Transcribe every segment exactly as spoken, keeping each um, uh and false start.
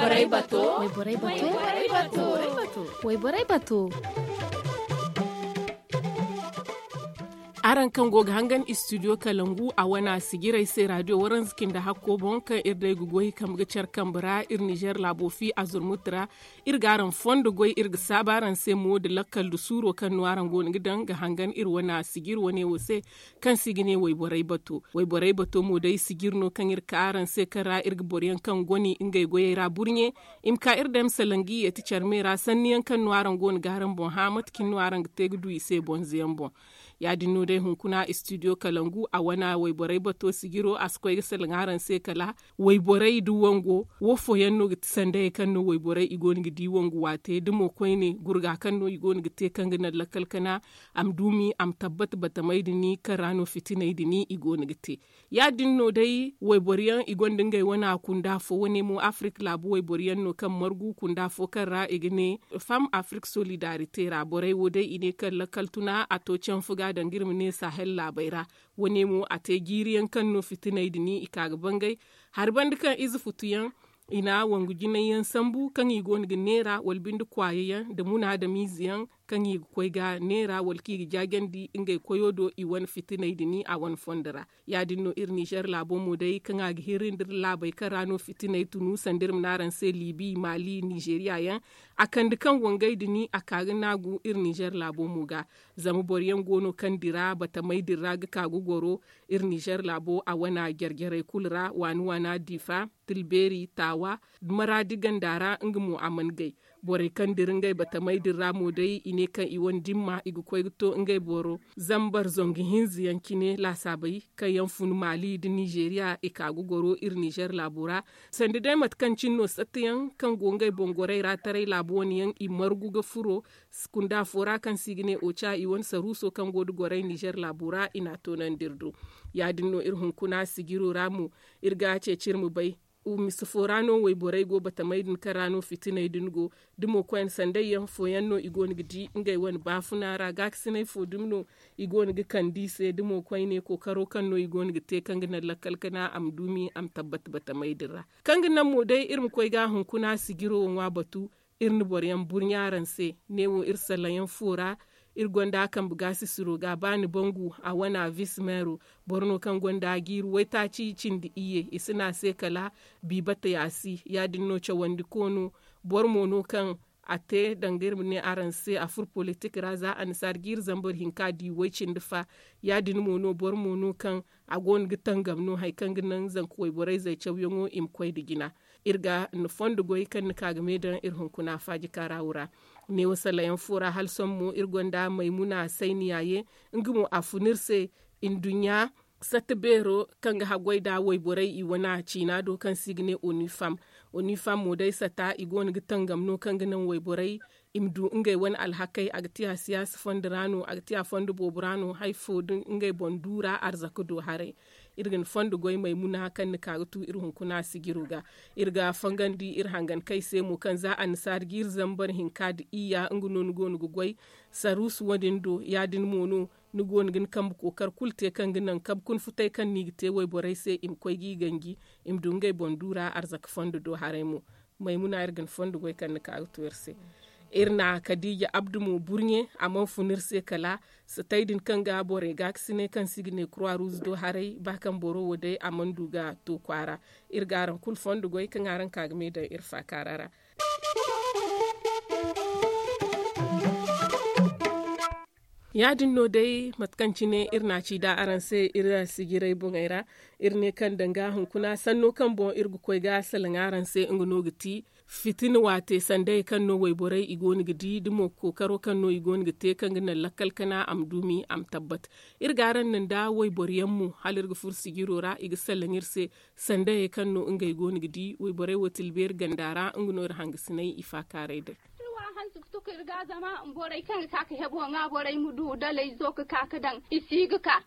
Wayborey bato. Wayborey bato. Araŋ kaŋ go ga hangan istudiyo kalangu a wana sijirey se raadiyo waranza cindi hakko boŋ kaŋ iri day ga goy kambe ga care kambe ra iri nizeer laabo fi a zurmuti ra. Iri ga araŋ fondo goy iri ga saabu araŋ se mo nda lakkal nda suuro kaŋ no araŋ go no ga daŋ ga hangan iri wana sijiri wane wo se. Kaŋ se i ga ne wayborey bato wayborey bato mo day sijiri no kaŋ iri ka araŋ se kaŋ ra iri ga boro yaŋ kaŋ goni ngey goyey ra burɲe. I ma ka iri day ma salaŋ ga i yeeti care me ra sanni yaŋ kaŋ no araŋ go no ga araŋ boŋ hã mate cine no araŋ ga te ga du i se bonze yaŋ boŋ. Ya- din no day hunkuna istudiyo kalangu a wana wayborey bato sijiro a si koy ga salaŋ araŋ se kala wayborey nda wango wo fooyaŋ no ga ti sandayey kaŋ no wayborey i go no ga di wangu waate da mo koyne gurga kaŋ no i go no ga te kaŋ ga naŋ lakkal kana. A ma duumi a ma tabbat batamey din kaŋ ra no fitiney din i go no ga te. Ya- din no day wayboro yaŋ i gonda ngey wana kunda fo wane mo afirik laabu wayboro yaŋ no kaŋ margu kunda fo kaŋ ra i ga ne fam afirik solidarite ra borey wo day i ne kaŋ lakkal tuna a to canfu ga danga iri ma ne sahel laabey ra. Wane mo a te jiiri yaŋ kaŋ no fitiney din i ka ga bangay hari banda kaŋ ize futu yaŋ i na wangu jinay yaŋ sambu kaŋ i go no ga neera wala binde kwaayo yaŋ nda munaadamiize yaŋ kaŋ i ga koy ga neera wala kaŋ i ga jaajandi ngey koyo do i wane fitiney din a wane fondo ra. Ya- din no iri nizeer laabo mo day kaŋ a ga hirri nda iri laabey kaŋ ra no fitiney tunu sanda iri ma ne araŋ se liibi maali nizeeriya yaŋ a kande kaŋ wangey din a ka ga naagu iri nizeer laabo mo ga. Zama boro yaŋ go no kaŋ dira batamey din ra ga ka ga goro iri nizeer laabo a wana jare jarey kulu ra waani waana diifa, tilbeeri taawa, maraadi ganda ra nga mo a mana gay. Borey kaŋ dira ngey batamey din ra mo day i ne kaŋ i wane dimma i ga koy ga to ngey boro zambar zangu hinza yaŋ cine laasaabey kaŋ yaŋ fun maali nda nizeeriya i ka ga goro iri nizeer laabo ra. Sanda day mate kaŋ cine no satta yaŋ kaŋ go ngey boŋ gorey ra taray laabo wane yaŋ i margu ga furo kunda fo ra kaŋ se i ga ne oca i wane saruuso kaŋ go nda gorey nizeer laabo ra i na a toonandi iri do. Ya- din no iri hunkuna sijiro ra mo iri ga a ceeci iri ma bay. Misa fo ra no wayborey go batamey din kaŋ ra no fitiney din go da mo koyne sanday yaŋ fooyaŋ no i go no ga di ngey wane baafuna ra gaakasiney fo dumi no i go no ga kande i se da mo koyne kookaro kaŋ no i go no ga te kaŋ ga naŋ lakkal kana a ma duumi a ma tabbat batamey din ra. Kaŋ ga naŋ mo day iri ma koy ga hunkuna sijiro ŋwa batu. Iri na boro yaŋ burɲa araŋ se. Neewo iri salaŋ yaŋ fo ra iri gonda a kambe gaasisiro ga ba ni bangu a wana vis meero. Boro no kaŋ gonda a jiiri waytaaci cindi iyye i si ne a se kala bi bata yaasi. Ya- din no cawandi koono boro mo no kaŋ a te danga iri ma ne araŋ se a furo politik ra za annasaara jiiri zambar hinka di way cindi fa. Ya- din mo no boro mo no kaŋ a go no ga tangam no hari kaŋ ga naŋ zanka wayborey zay cawyaŋo i ma koy nda jina. Iri ga ni fondo goy kaŋ ni ka ga me daŋ iri hunkuna faaji kaarawu ra. Neewo salayaŋ fo ra hala sohõ mo iri gonda maymuna sayniya ye. Nga mo a fun iri se nduɲɲa satta beero kaŋ ga haggoy nda wayborey i wane ciina do kaŋ se i ga ne onifam. Onifam mo day satta i go no ga tangam no kaŋ ga naŋ wayborey i ma du ngey wane alhakey a ga te a siyaasa fondo ra no a ga te a fondo boobo ra no hari fo da ngey boŋ du ra arzaka do haray. Iri ga ni fondo goy maymuna kaŋ ni ka ga tu iri hunkuna sijiro ga. Iri ga fangandi iri hangankey se mo kaŋ za annasaara jiiri zambar hinka nda iyya nga no ni go no ga goy saruusu wo- din do ya- din mo no ni go no ga ni kambe kookar kulu te kaŋ ga naŋ kabe kuna futay kaŋ no i ga te wayborey se i ma koy g'i ganji i ma du ngey boŋ du ra arzaka fondo do haray mo. Maymuna iri ga ni fondo goy kaŋ ni ka ga tu iri se. Iri na kadiija abdu mo burɲe a mana fun iri se kala satay din kaŋ ga borey gaakasinay kaŋ se i ga ne kurwa ruuzu do haray ba kaŋ boro wo day a mana du ga to kwaara. Iri ga araŋ kulu fondo goy kaŋ araŋ ka ga me daŋ iri faakaara ra. Ya- din no day mate kaŋ cine iri na a ci da araŋ se iri sijirey boŋey ra. Iri ne kaŋ danga hunkuna sanno kaŋ boŋ iri ga koy ga salaŋ araŋ se nga no ga ti fitina waate sandayey kaŋ no wayborey i go no ga di da mo kookaro kaŋ no i go no ga te kaŋ ga naŋ lakkal kana a ma duumi a ma tabbat. Iri ga araŋ naŋ da wayboro yaŋ mo hala iri ga furo sijiro ra i ga salaŋ iri se sandayey kaŋ no ngey go no ga di wayborey wo tilbeeri ganda ra nga no iri hangasinay i faakaaray day. Hanse ga tuku iri ga zama borey kaŋ ga ka ga hebo ŋwa borey ma du dalay zo ga ka ga daŋ i si ga ka.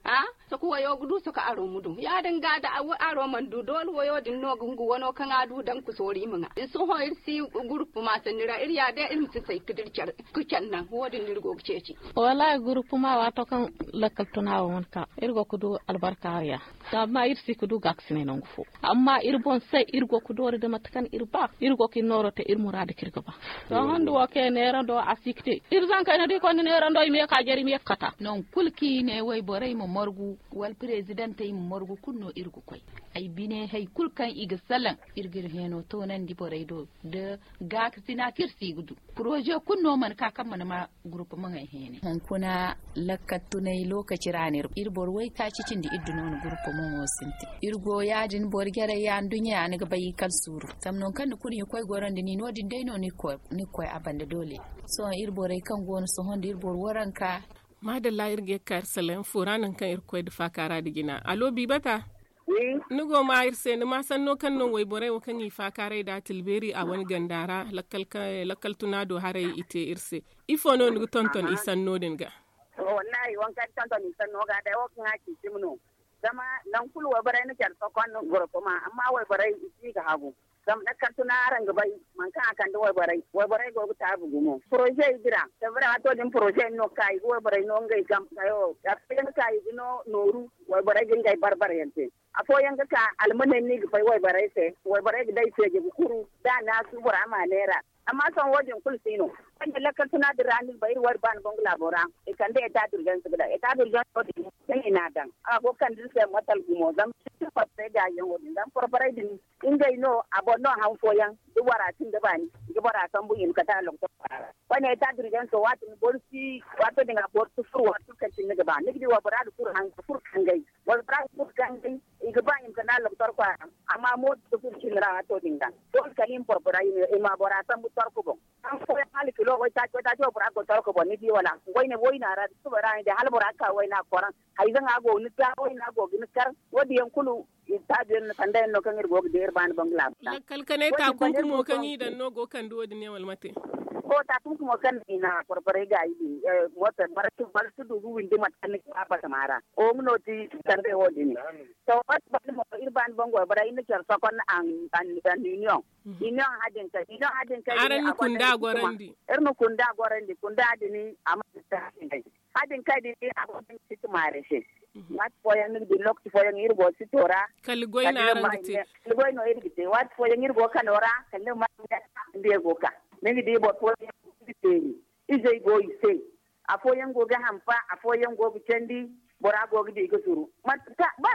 Soko wayo ga du soko aro ma du ya- din ga da aro mana du doole wayo din no ga hungu wano kaŋ a du daŋ ga soori i ma ŋwa. Sohõ iri si gurupu ma sanni ra iri ya day iri ma si say ga dira care ga care naŋ wo- din no iri go ga ceeci. Wallaahi gurupu ma waato kaŋ lakkal tuna wo mana ka iri go ga du albarka hari ya. Amma iri si ga du gaakasinay nangu fo. Amma iri boŋ se iri go ga doori nda mate kaŋ iri ba iri go ga iri nooro te iri muraadu kaŋ iri ga ba. To hando wo kaŋ ya neerando a si ga te iri zankey no da i konda neerando i ma ye ga ka jare i ma ye ga kata. Nangu kulu kaŋ i ne wayborey ma margu wala presidentey ma margu kulu no iri ga koy. Ay bine hari kulu kaŋ i ga salaŋ iri ga iri heeno toonandi borey do nda gaakasina kaŋ iri si ga du. Poroze kulu no mana ka kaŋ mana ma gurupu maŋey heene. Hunkuna lakkal tunay lookaci ra no iri boro waytaaci cindi iri du no ni gurupu maŋo sintin. Iri go ya- din boro jarey ya nduɲɲa ya ni ga bay i kala suuru. Zama nangu kaŋ ni kurnye koy goro nda ni no- din day no ni ga koy a banda doole. Sohõ iri borey kaŋ go no sohõ nda iri boro waranka. Maadalla iri ga ye ga ka iri salaŋ fo ra nangu kaŋ iri ga koy nda faakaara nda jina allo biibata. Ni go ma iri se ni ma sanno kaŋ no wayborey wo kaŋ i faakaaray nd'a tilbeeri a wane ganda ra lakkal tuna do haray i te iri se. Ifo no ni ga tonton i sanno din ga? Wallaahi waŋ kaŋ ni tonton i sanno ga day wo kaŋ a ci cimi no. Zama nangu kulu wayborey na care sokon goro tuma amma wayborey i si ga hagu. Zama lakkal tuna araŋ ga bay mate kaŋ a kande wayborey wayborey go ga taabu gumo poroze i dira. Sefere waato din poroze no ga ka i ga wayborey no ngey game. Afooyaŋ ga ka i ga no nooru wayborey ga ngey bar-bar yaŋ te. Afooyaŋ ga ka almaney no i ga fay wayborey se. Wayborey ga day feeji ga kuru da a naasu bora ma neera. Amma sohõ wo- din kulu si no. Kaŋ ne lakkal tuna din ra ni ga bay iri wayra ba ni boŋ ga laabo ra i kande eta durjans ga daŋ eta durjans wo- din kaŋ i n'a daŋ a go ga kande iri se motal gumo zama sintin porporey gaayi yaŋo din zama porporey din ngey no a boŋ no han fooyaŋ da bora sinda baani ga bora sambu i ma kate a loktor kwaara. Koyne eta durjans wo waati din boro si waato din a boro si furo waati kulu kaŋ cine ni ga ba ni ga di waybora ga furo haŋ ga furo kangay waybora ga furo kangay. I ga ba i ma kande a loktor kwaara amma mooto si furo cine ra waato din ga doole kala i ma porpora i ma bora sambu torko boŋ. Kaŋ fooyaŋ hala kilo waytaaci waytaaci waybora ga go torko boŋ ni di wala? Wayna wayna ra da suba ra ni di hala bora ga ka wayna ga koraŋ. Hayzaŋa go ga ni ga wayna go ga ni kar. Wo- din yaŋ kulu taabiyaŋ no sanda yaŋ no kaŋ iri go ga di iri baani baŋ ga laabu ta. Lakkal kanay taakunkumo kaŋ i daŋ no go ga kande wo- din yaŋ wala mate? To taakunkumo kaŋ no i na porporey gaayi din. Mooto boro si du ga windi mate kaŋ ni ga ba batama ra. Wo nga no ti sanda wo- din. To waati baani mo iri baani baŋ go iri bara iri na care sokon anniiniyoŋ. Iniyoŋ hadin kay iniyoŋ hadin kay din a gonda iri na kunda gorandi kunda din a ma. Hadin kay din a gonda iri siti maare se. Waati fooyaŋ ni ga di lokaci fooyaŋ iri go sito ra. Kala goy no iri ga te waati fooyaŋ iri go kano ra kala ni ga ma. Nda iri go ka ni ga di boro fooyaŋ iri teeri izey go i se. Afooyaŋ go ga hampa afooyaŋ go ga candi. Bora go ga di ga zuru ba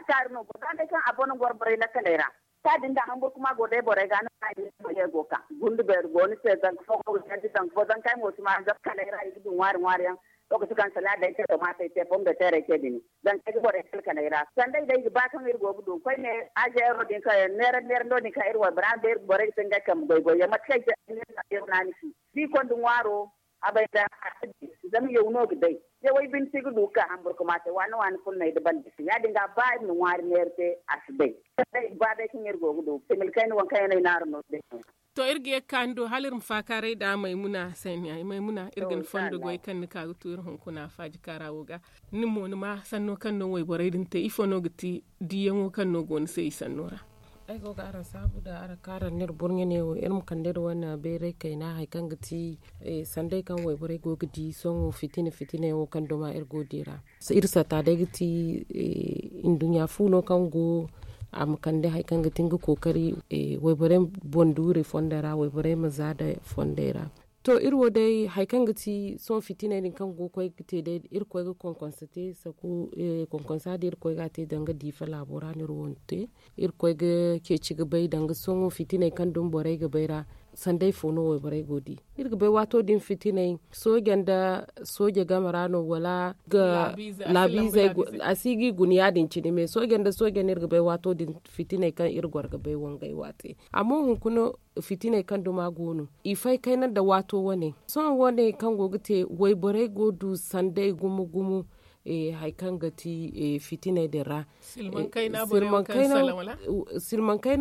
kaari no boro ga day kaŋ a bono goro borey lakkaley ra. Ka din da hamburkuma go day borey ga no ka din borey go ka gundu beeri go ni se zanka fo go ga candi zanka fo zanka ay mo si ma zab kaley ra i ga du ŋwaari ŋwaari yaŋ. Lokaci kaŋ sala day te tomaatey te pombeteerey te din. Zanka ay ga borey kalkaley ra sanda ay day ga ba kaŋ iri go ga du koyne azeero din kaŋ neera neera no din kaŋ iri waybora day borey ga te ngey kambe goy goy yaŋ mate kaŋ ay te ay ne zanka ay go no a ni ci. Da i konda ŋwaaro a bay da a si bay. Zama yaw no ga day. Yawey binde si ga du ga ka hamburkuma se waani waani furnay da banda se ya- din ga ba iri na ŋwaari neera te a si bay. Ba day kaŋ iri go ga du similkayna waŋ kaŋ yaŋ no ay naaru no day. To iri ga ye ga ka ni do hala iri ma faakaaray nd'a maymuna saniya maymuna iri ga ni fondo goy kaŋ ni ka ga tu iri hunkuna faaji kaara wo ga. Ni mo ni ma sanno kaŋ no wayborey din te ifo no ga ti diiyaŋo kaŋ no go ni se i sanno ra? Ay go ga araŋ saabu nda araŋ kaaraŋ no iri burɲe ne wo iri ma kande iri wane bayray kayna hari kaŋ ga ti sanday kaŋ wayborey go ga di sohõ fitina fitina yaŋo kaŋ duma iri go ga di ra. Iri satta day ga ti nduɲɲa fu no kaŋ go a ma kande hari kaŋ ga ti nga kookari wayborey boŋ duurey fondey ra wayborey ma za nda fondey ra. To iri wo day hari kaŋ ga ti sohõ fitiney din kaŋ go ga koy ga te day iri ga koy ga konkonsa te saku konkonsa din iri ga koy ga a te danga diifa laabo ra no iri wo na te. Iri ga koy ga ceeci ga bay danga sohõ fitiney kaŋ dumi borey ga bay ra. Sanday fo no wayborey go ga di iri ga bay waato din fitiney sooje nda sooje game ra no wala ga laabiizey a si ga i guna ya- din cine me sooje nda sooje no iri ga bay waato din fitiney kaŋ iri goro ga bay wangay waate. Amma hunkuna fitiney kaŋ duma go no i fay kayna nda waato wane sohõ wane kaŋ go ga te wayborey go ga du sanday gumo gumo. Hari kaŋ ga ti fitiney din ra silmaŋ kayna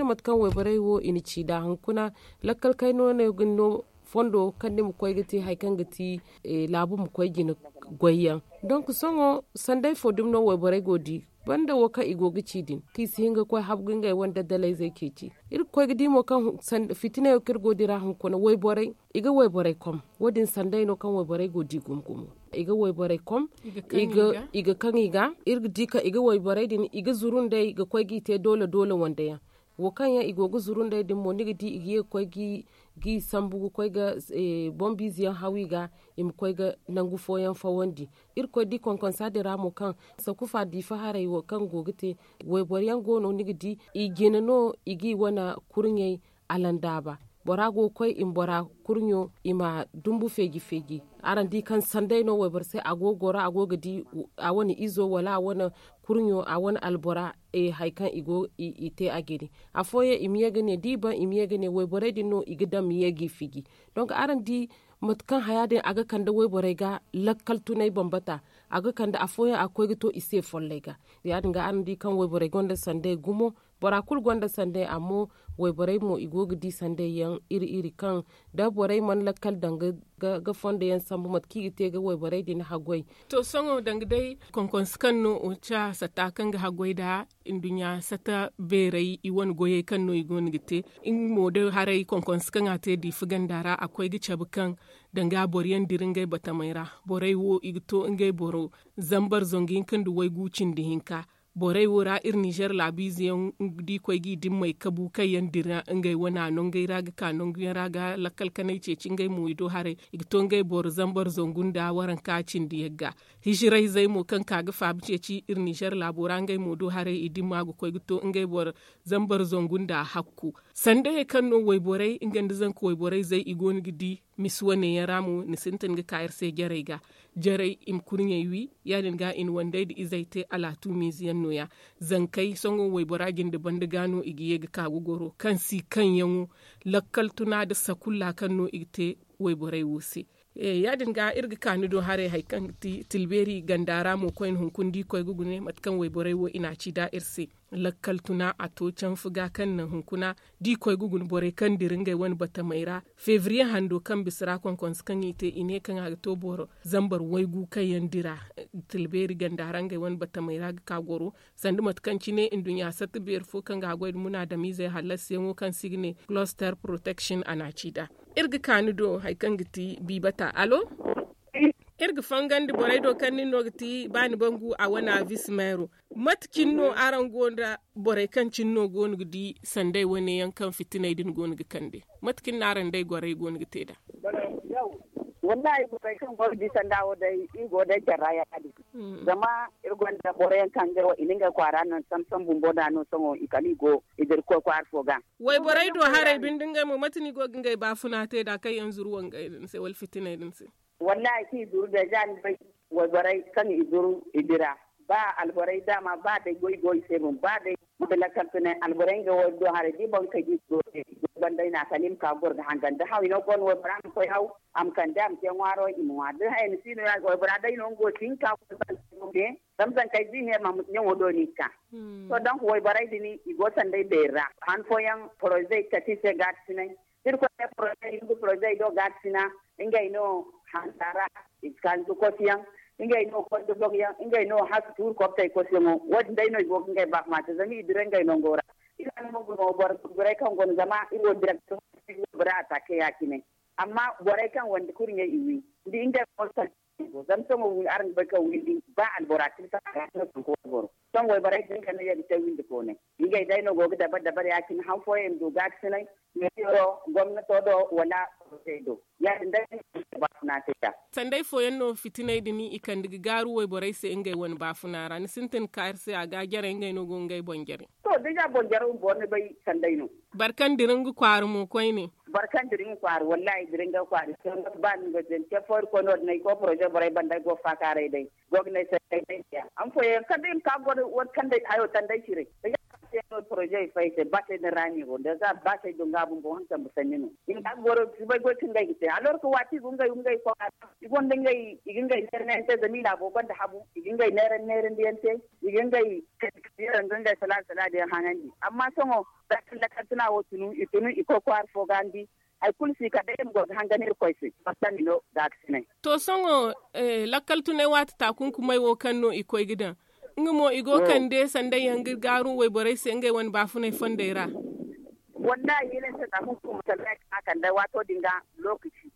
mate kaŋ wayborey wo i na ci nd'a hunkuna lakkal kayna wane ga ni no. fondo kaŋ ni ma koy ga te hari kaŋ ga ti laabu ma koy jina goy yaŋ. Donk sohõ sanday fo dumi no wayborey go ga di banda wo kaŋ i go ga ci din kaŋ i si hin ga koy habgu ngey wane daddalayzey ceeci. Iri ga koy ga di mo kaŋ fitiney wo kaŋ iri go ga dira hunkuna wayborey i ga wayborey kom. Wo- din sanday no kaŋ wayborey go ga di gumo gumo. I ga wayborey kom i ga kaŋ i ga iri ga di kaŋ i ga wayborey din i ga zuru nd'ey ga koy g'i te doole doole wande yaŋ. Wo kaŋ yaŋ i go ga zuru nd'ey din mo ni ga di i ga ye ga koy g'i sambu ga koy ga boŋ biize yaŋ haw i ga i ma koy ga nangu fooyaŋ fawandi. Iri ga koy di konkonsa din ra mo kaŋ sakufa diifa haray wo kaŋ go ga te wayboro yaŋ go no ni ga di i jina no i g'i wane kurɲey alandaaba. Bora go ga koy i ma bora kurɲo i ma dumbu feeji feeji. Araŋ di kaŋ sanday no wayboro se a go ga goro a go ga di a wane izo wala a wane kurɲo a wane albora hari kaŋ i go i te a jine. Afooyaŋ i ma ye ga ne da i baŋ i ma ye ga ne wayborey din no i ga daŋ ma ye g'i fiji. Donk araŋ di mate kaŋ haya din a ga kande wayborey ga lakkal tunay bambata. A ga kande afooyaŋ a ga koy ga to i se follay ga. Ya- din ga araŋ di kaŋ wayborey gonda sanday gumo. Bora kulu gonda sanday amma wayborey mo i go ga di sanday yaŋ iri iri kaŋ da borey mana lakkal daŋ ga fondo yaŋ sambu mate kaŋ i ga te ga wayborey din haggoy. To sohõ danga day konkonse kaŋ no oca sata kaŋ ga haggoy nd'a nduɲɲa sata beerey i wane goyey kaŋ no i go no ga te nga mo day haray konkonse kaŋ a te diifa ganda ra a koy ga cabe kaŋ danga boro yaŋ dira ngey batamey ra. Borey wo i ga to ngey boro zambar zangu hinka nda waygu cindi hinka. Borey wo ra iri ninzeer laabiize yaŋ da i koy g'i dimmey kabu kaŋ yaŋ dira ngey wane a nongey ra ga ka nongu yaŋ ra ga lakkal kanay ceeci ngey mo i do haray. I ga to ngey boro zambar zangu nda waranka cindi yagga. Hijirayzey mo kaŋ ka ga faabu ceeci iri ninzeer laabo ra ngey mo do haray i dimma ga koy ga to ngey boro zambar zangu nda hakku. Sandayey kaŋ no wayborey nga nda zanka wayborey zey i go no ga di. Misi wane yaŋ ra mo ni sintin ga ka iri se jarey ga jarey i ma kurɲey wi. Ya- din ga i na wandey nda izey te alaatumiize yaŋ no- ya. Zankey sohõ waybora jinde banda ga no i ga ye ga ka ga goro kaŋ si kaŋ yaŋo lakkal tuna nda sakulla kaŋ no i ga te wayborey wo se. Ya- din ga iri ga ka ni do haray hari kaŋ ga ti tilbeeri ganda ra mo koyne hunkuna da i koy ga gune mate kaŋ wayborey wo i na a ci nd'a iri se. Lakkal tuna a to canfu ga kaŋ naŋ hunkuna da i koy ga guna borey kaŋ dira ngey wane batamey ra. Febriye hando kaŋ bisa ra konkonse kaŋ i te i ne kaŋ a ga to boro zambar waygu kaŋ yaŋ dira tilbeeri ganda ra ngey wane batamey ra ga ka goro. Sanda mate kaŋ cine nduɲɲa satta beeri fo kaŋ ga a goy nda munaadamiizey hallasiyaŋo kaŋ se i ga ne cluster protection a na a ci nd'a. Iri ga ka ni do hari kaŋ ga ti biibata alo. Iri ga fangandi borey do kaŋ nin no ga ti ba ni bangu a wane a visi meero. Mate cine no araŋ go nda borey kaŋ cine no go no ga di sanday wane yaŋ kaŋ fitiney din go no ga kande? Mate cine no araŋ day gorey go no ga te nd'a? Wallahi borey kaŋ go ga di sanda wo day iri go day care ra ya- din. Zama iri gonda boro yaŋ kaŋ ngey wo i na ngey kwaara naŋ sambu sambu bumbo nd'a no sohõ i kala i go i dira koy kwaara fo ga. Wayborey do haray binde ngey mo mate no i go ga ngey baafuna te nd'a kaŋ yaŋ zuru wangey din se wala fitiney din se? Wallahi kaŋ i zuru deeza ni bay wayborey kaŋ i zuru i dira. Ba alborey daama ba day goy go i se boŋ ba day lakkal tunay alborey nga wo do haray da i boŋ kay da i go te. Goy banda i na kala i ma ka ga goro ga hangan da haw i no go no waybora ma koy haw a ma kande a ma te ŋwaaro i ma ŋwa da haya ni si no ya waybora day no nga wo si hin ka goy banda. Zama zankey da i ne ma ɲaŋo do no i ga ka. To donk wayborey din i go sanday beeri ra han fooyaŋ porozey kati se gaakasinay. Iri koy ne porozey hindu porozey do gaakasina. Ngey no hansa ra i ga ka ga kosi yaŋ. Ngey no kondo bog yaŋ ngey no hasu tuuri kobtey kosi yaŋo. Wo- din day no i go ga ngey baafuma te zama i dira ngey nango ra. Iri wane mo gumo boro gurgurey kaŋ go no zama iri wo direkto bora atake ya- cine. Amma borey kaŋ wande kurɲey i wi da ngey mo sanday go zama sohõ windi araŋ ga bay kaŋ windi ba albora kila saka ga no sanku wayboro. Sohõ wayborey din ga no ye ga te windi koonay. Ngey day no go ga dabar dabar ya- cine han fooyaŋ i ma du gaakasinay meero gomnato do wala porozey do. Ya- din day no i ga te baafuna te nd'a. Sanday fooyaŋ no fitiney din i kande ga gaaru wayborey se ngey wane baafuna ra ni sintin ga ka iri se a ga jarey ngey no go ga ngey boŋ jare. To deeza boŋ jare bumbo ni bay sanday no. Boro kaŋ dira nga kwaara mo koyne. Boro kaŋ dira nga kwaara wallahi dira nga kwaara. Ba ni ga din te fo iri koy no- din ay koy poroze borey banda ay go ga faakaaray day. Go ga ne ay se ay day. Amma fooyaŋ kala day i ma ka ga goro wala kaŋ day hayo tanday ciray. Ay ga ka se no poroze fay se ba se din ra ni go da za ba se do nga bumbo han sambu sanni no. I ma ka ga goro si bay goy kaŋ ngey ga te alors que waati go ngey ngey kwaara. I gonda ngey i ga ngey neera neera te zama i laabo gonda habu i ga ngey neera neera ndiyaŋ te. I ga ngey kadi kadi yaŋ ga ngey salaadi salaadi yaŋ haŋandi amma sohõ. Za kaŋ lakkal tuna wo tunu i tunu i koy kwaara fo ga ni di. hari kulu si kala day iri ma goro ga hangan irkoy se. Fassandi no gaakasinay. To sohõ lakkal tunay waati taakunkumay wo kaŋ no i koy ga daŋ, nga mo i go kande sanda yaŋ ga gaaru wayborey se ngey wane baafunay fondey ra. Wallahi hilinse taakunkumay sanda yaŋ kaŋ a kande waato din ga lookaci.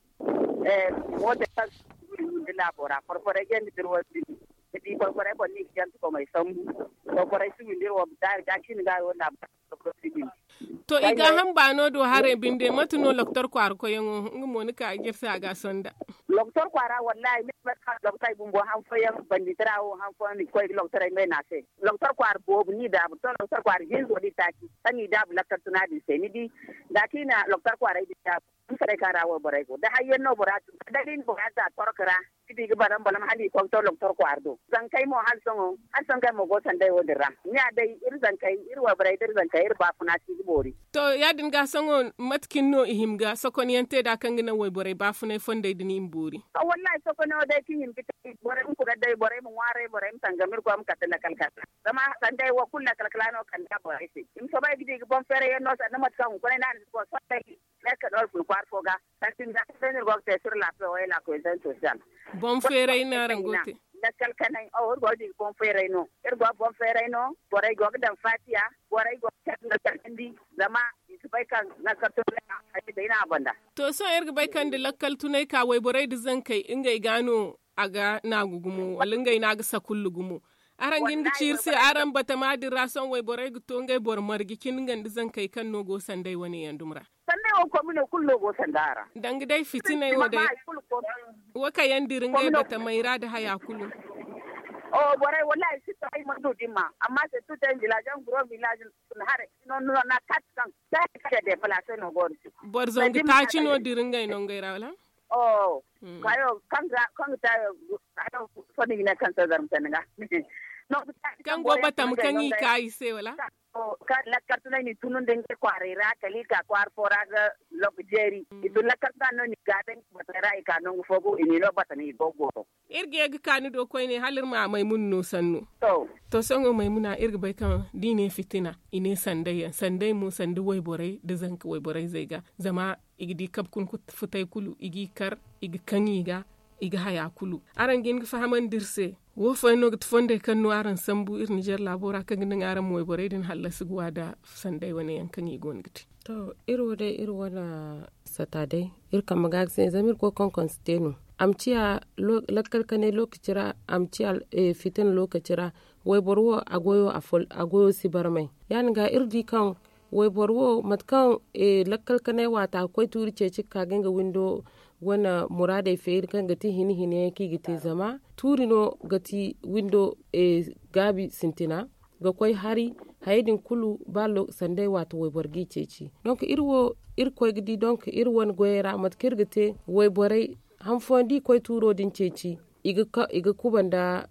Mootey kaŋ si guri nda laabo ra farfarey jandi birwar din, ni di farfarey boŋ no i ga jante komey sambu. Farfarey si windi iri wo daari ga cin ga wo laabo. To i gaaham baano do haray binde mate no loktor kwaara koyyaŋo nga mo ni ka ga iri se a ga a sonda. Loktor kwaara wallahi ni ga bay kaŋ loktor bumbo han fooyaŋ banditara wo han fooyaŋ ni ga koy ga loktorey may no a se. Loktor kwaara boobo ni daabu to loktor kwaara hinzo da i taaci kaŋ i daabu lakkal tuna din se ni di. Za kaŋ i na loktor kwaarey din daabu, hanfarey kaŋ ra wayborey go da hayyaŋ no bora tun da day ni bora za torka ra, ni di ga balam balam hala i konto loktor kwaara do. Zankey mo hala sohõ hala sohõ ngey mo go sanday wo- din ra. Ni ya day iri zankey iri wayborey da iri zankey iri baafuna si ga boori. To ya- din ga sohõ mate cine no i hima ga sokonyaŋ te nd'a kaŋ ga naŋ wayborey baafunay fondey din i ma boori? Wallahi sokono day kaŋ i hima ga te borey ma kuna day borey ma ŋwaaray borey ma tangam iri koy ma kate lakal kala. Zama sanday wo kulu lakal kala no kala borey se i ma soobay ga di ga boŋ feeray yaŋ no sanda mate kaŋ hunkuna ay ne a na si koy soobay. Meekanor fun kwaara fo ga. Santin da kaŋ day no iri go ga te sir laafiya wayla koy zan sosiyal. Boŋ feeray no araŋ go ga te? Lakkal kanay iri go ga di ga boŋ feeray no. Iri go ga boŋ feeray no. Borey go ga daŋ faatiya. Borey go ga care nda care nda i zama i si bay kaŋ lakkal tunay a hari day no a banda. To sohõ iri ga bay kaŋ da lakkal tunay ka wayborey nda zankey ngey ga no a ga naagu gumo wala ngey no a ga sakullu gumo. Araŋ ga hin ga ci iri se araŋ batama din ra sohõ wayborey ga to ngey boro marje cine nga nda zankey kaŋ no go sanday wane yaŋ dumi ra? Sanday wo komino kulu no go sanda a ra. Danga day fitinay wo day. Wo kaŋ yaŋ dira ngey batamey ra nda haya kulu. Borey wallahi si to ay mana du din ma amma se tu ten village yaŋ guro village haray no no na kati kaŋ. Boro zangu taaci no dira ngey nongey ra wala? Kayo kaŋ ga ta. Fo no i ga ne kaŋ se zarma sanda ga. Kaŋ go batama kaŋ i ka i se wala? Kaŋ lakkal tunay n'i tunu nda ngey kwaaray ra kala i ka kwaara fo ra ga. Loko jeeri i tun lakkal tunay no n'i gaabe nga batey ra i ka nangu fo go i n'i no batama i go ga goro. Iri ga ye ga ka ni do koyne hala iri ma maymuna no sannu. To sohõ maymuna iri ga bay kaŋ da i ne fitina i ne sanday yaŋ sanday mo sanda wayborey nda zanka wayborey zey ga zama i ga di kabe kuna futay kulu i g'i kar i ga kaŋ i ga i ga haya kulu. Araŋ ga hin ga fahamandi iri se wo fooyaŋ no ga ti fondey kaŋ no araŋ sambu iri nizer laabo ra kaŋ ga naŋ araŋ ma wayborey din hallasi ga wa nda sanday wane yaŋ kaŋ i go no ga te. To iri wo day iri wane sata day iri kambe ga ga se zama iri koy konkon si te no. A ma ciya lakkal kanay lokaci ra a ma ciya fitina lokaci ra. Wayboro wo a goyo si barmay ya- din ga iri di kaŋ wayboro wo mate kaŋ lakkal kanay waata ga koy tuuri ceeci ga ka ga nga windo wane muraadey feeri kaŋ ga ti hina hina yaŋ kaŋ i ga te zama tuuri no ga ti windo gaabi sintina ga koy hari. Hayey din kulu ba sanday waata wayboro g'i ceeci donk iri wo iri koy ga di donk iri wane goyey ra mate kaŋ iri ga te wayborey han fooyaŋ da i koy tuuro din ceeci i ga kuba nda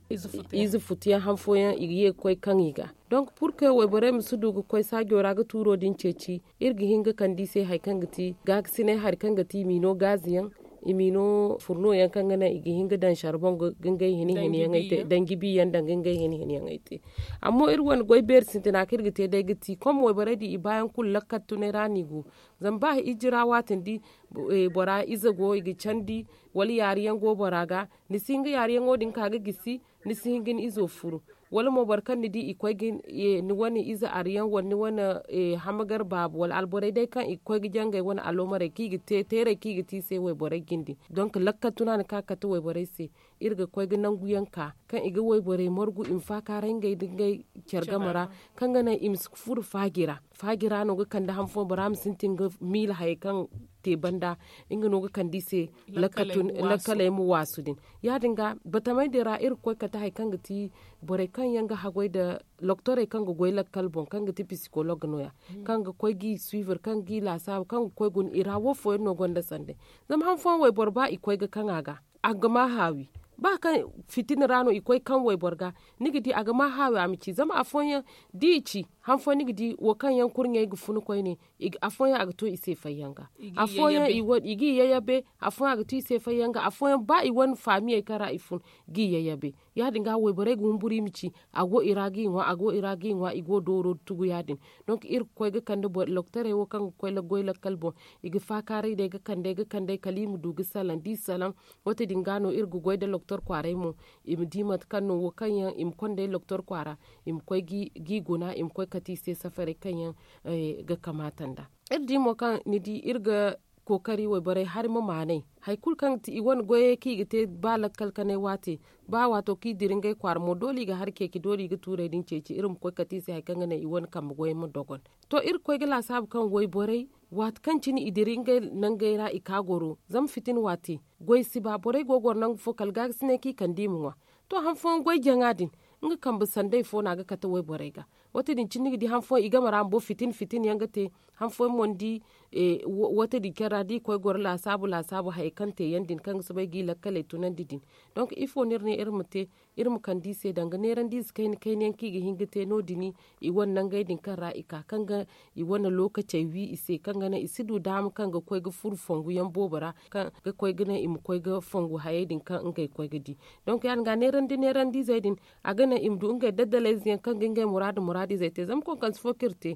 ize futu yaŋ han fooyaŋ i ga ye ga koy kaŋ i ga donk purke wayborey ma si du ga koy saajo ra ga tuuro din ceeci. Iri ga hin ga kande i se hari kaŋ ga ti gaakasinay hari kaŋ ga ti i m'i no gaazi yaŋ i m'i no furno yaŋ kaŋ ga naŋ i ga hin ga daŋ sarbon ga ngey hina hina yaŋey te danji bi yaŋ danga ngey hina hina yaŋey te. Amma iri wane goy beeri sintina kaŋ iri ga te day ga ti kom wayborey din i baayaŋ kulu lakkal tunay ra no i go. Zama ba ijira waati ni di bora ize go i ga candi wala yaari yaŋ go bora ga ni si hin ga yaari yaŋo din ka ga gisi ni si hin ga ni izo furu. Wala mo boro kaŋ ni di i koy ga ni wane ize ari yaŋ wala ni wane hamagar baabu wala alborey day kaŋ i ga koy ga jangay wane aloomarey kaŋ i ga te teerey kaŋ i ga te i se wayborey jindi donk lakkal tuna ni ka ga kate wayborey se. Iri ga koy ga nangu yaŋ ka kaŋ i ga wayborey margu i ma faakaaray ngey nda ngey care game ra kaŋ ga naŋ i ma si furo faaji ra. Faaji ra no ga kande han fooyaŋ bora ma sintin ga miila hayey kaŋ te banda nga no ga kande i se lakkaley ma waasu din. Ya- din ga batamey din ra iri ga koy kate hari kaŋ ga ti borey kaŋ yaŋ ga haggoy nda loktorey kaŋ ga goy lakkal boŋ kaŋ ga ti pisikolog no- ya kaŋ ga koy g'i suivre kaŋ g'i laasaabu kaŋ ga koy guna i ra wo fooyaŋ no gonda sanday. Zama han fooyaŋ wayboro ba i koy ga kaŋ a ga a ga ma haawi ba kaŋ fitina ra no i koy kaŋ wayboro ga ni ga di a ga ma haawi a ma ci zama afooyaŋ da i ci han fooyaŋ ni ga di wo kaŋ yaŋ kurɲey ga fun koyne. Afooyaŋ a ga to i se fayyaŋ ga. Afooyaŋ i g'i yayabe. Afooyaŋ a ga to i se fayyaŋ ga afooyaŋ ba i wane faamiyey kaŋ ra i fun g'i yayabe. Ya- din ga wayborey ga humburu i ma ci a go i ra g'i ŋwa a go i ra g'i ŋwa i go dooro tugu ya- din. Donk iri ga koy ga kande loktorey wo kaŋ ga koy goy lakkal boŋ. I ga faakaaray day ga kande ga kande kala i ma du ga salaŋ da i salaŋ. Wate din ga no iri ga goy nda loktor kwaaray mo i ma di mate kaŋ no wo kaŋ yaŋ i ma konda ay loktor kwaara i ma koy g'i guna i ma koy kate i se safaray kaŋ yaŋ ga kamaata nd'a. Iri di mo kaŋ ni di iri ga kookari wayborey hari ma maanay hari kulu kaŋ ga ti i wane goyey kaŋ i ga te ba lakkal kanay waate ba waato kaŋ i dira ngey kwaara mo doole i ga hari ceeci doole i ga tuurey din ceeci iri ma koy kate i se hari kaŋ ga naŋ i wane kambe goyey ma dogon. To iri ga koy ga laasaabu kaŋ wayborey waati kaŋ cine i dira ngey nangey ra i ka goro zama fitina waate goy si ba borey go ga goro nangu fo kala gaagasinay kaŋ i kande i ma ŋwa. To han fooyaŋ goy jaŋa din nga kambe sanday fo no a ga kate wayborey ga. Wate din cine ni ga di han fooyaŋ i game ra bumbo fitina fitina yaŋ ga te. Han fooyaŋ mo ni di wate din care ra da i koy goro laasaabu laasaabu hayey kaŋ te yaŋ din kaŋ ga soobay g'i lakkaley tunandi din. Donk ifo no iri ne iri ma te iri ma kande i se danga neerandiize kayna kayna yaŋ kaŋ i ga hin ga te no- din i wane nangey din kaŋ ra i ka kaŋ ga i wane lookacey wi i se kaŋ ga naŋ i si du daama kaŋ ga koy ga furo fongu yaŋ boobo ra kaŋ ga koy ga naŋ i ma koy ga fongu hayey din kaŋ ngey koy ga di. Donk ya- din ga neerandi neerandiizey din a ga naŋ i ma du ngey daddalayze yaŋ kaŋ ga ngey muraadu muraadiizey te zama konkonse fo kaŋ iri te